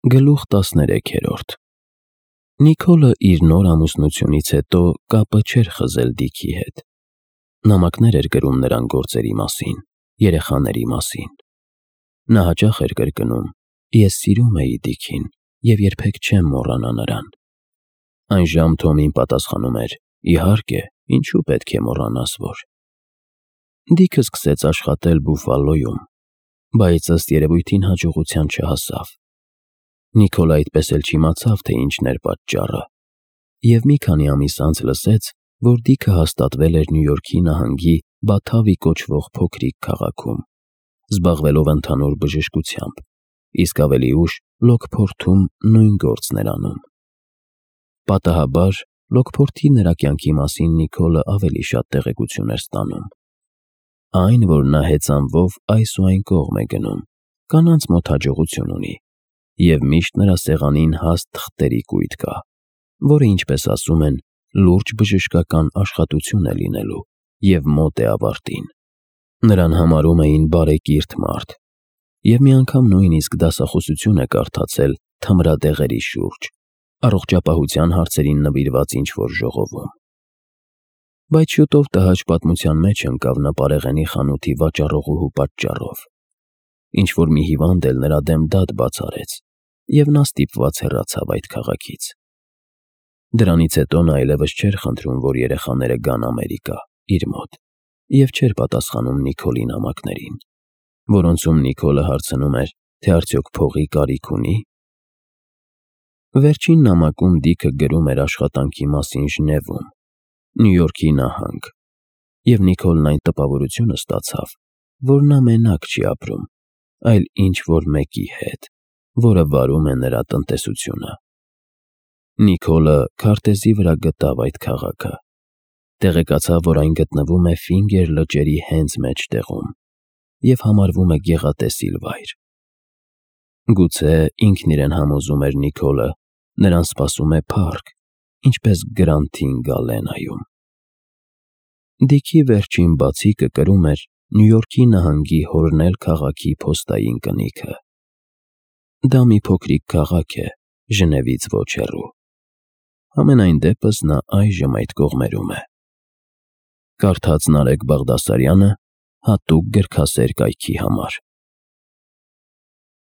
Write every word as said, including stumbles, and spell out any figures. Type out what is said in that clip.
Գլուխ տասներեքերորդ Նիկոլը իր նոր ամուսնությունից հետո կապը չէր խզել Դիքի հետ։ Նամակներ էր գրում նրան գործերի մասին, երեխաների մասին։ Նա հաճախ էր կրկնում. «Ես սիրում էի Դիքին և երբեք չեմ մոռանա նրան»։ Այնժամ Թոմին պատասխանում էր. «Իհարկե, ինչու պետք է մոռանաս, որ…»։ Դիքը սկսեց աշխատել Բուֆալոյում, բայց ըստ երևույթին հաջողության չհասավ։ Նիկոլը այդպես էլ չիմացավ, թե ինչն էր պատճառը, և մի քանի ամիս անց լսեց, որ Դիքը հաստատվել էր Նյու Յորքի նահանգի Բաթավի կոչվող փոքրիկ քաղաքում, զբաղվելով ընդհանուր բժշկությամբ, իսկ ավելի ուշ Լոքփորթում նույն գործն էր անում։ Պատահաբար, Լոքփորթի նրա կյանքի մասին Նիկոլը ավելի շատ տեղեկություն էր ստանում։ Այն, որ նա հեծանվով այս ու այն կողմ է գնում, կանանց մոտ հաջողություն ունի, և միշտ նրա սեղանին հաստ թղթերի կույտ կա, որը, ինչպես ասում են, լուրջ բժշկական աշխատություն է լինելու և մոտ է ավարտին։ Նրան համարում էին բարեկիրթ մարդ, և մի անգամ նույնիսկ դասախոսություն է կարդացել թմրադեղերի շուրջ, առողջապահության հարցերին նվիրված ինչ-որ ժողովում։ Բայց շուտով տհաճ պատմության մեջ ընկավ նա պարեղենի խանութի վաճառողուհու պատճառով։ Ինչ-որ մի հիվանդ էլ նրա դեմ դատ բաց արեց, և նա ստիպված հեռացավ այդ քաղաքից։ Դրանից հետո նա այլևս չէր խնդրում, որ երեխաները գան Ամերիկա, իր մոտ, և չէր պատասխանում Նիկոլի նամակներին, որոնցում Նիկոլը հարցնում էր, թե արդյոք փողի կարիք ունի՞։ Վերջին նամակում Դիքը գրում էր աշխատանքի մասին Ժնևում, Նյու Յորքի նահանգ, և Նիկոլն այն տպավորությունը ստացավ, որ նա մենակ չի ապրում, այլ ինչ֊որ մեկի հետ, որը վարում է նրա տնտեսությունը։ Նիկոլը քարտեզի վրա գտավ այդ քաղաքը, տեղեկացավ, որ այն գտնվում է Ֆինգեր լճերի հենց մեջտեղում և համարվում է գեղատեսիլ վայր։ Գուցե, ինքն իրեն համոզում էր Նիկոլը, նրան սպասում է փառք, ինչպես Գրանթին Գալենայում։ Դիքի վերջին բացիկը կրում էր Նյու Յորքի նահանգի Հորնել քաղաքի փոստային կնիքը։ Դա մի փոքրիկ քաղաք է, Ժնևից ոչ հեռու։ Համենայն դեպս նա այժմ այդ կողմերում է։ Կարդաց Նարեկ Բաղդասարյանը հատուկ գրքասեր կայքի համար։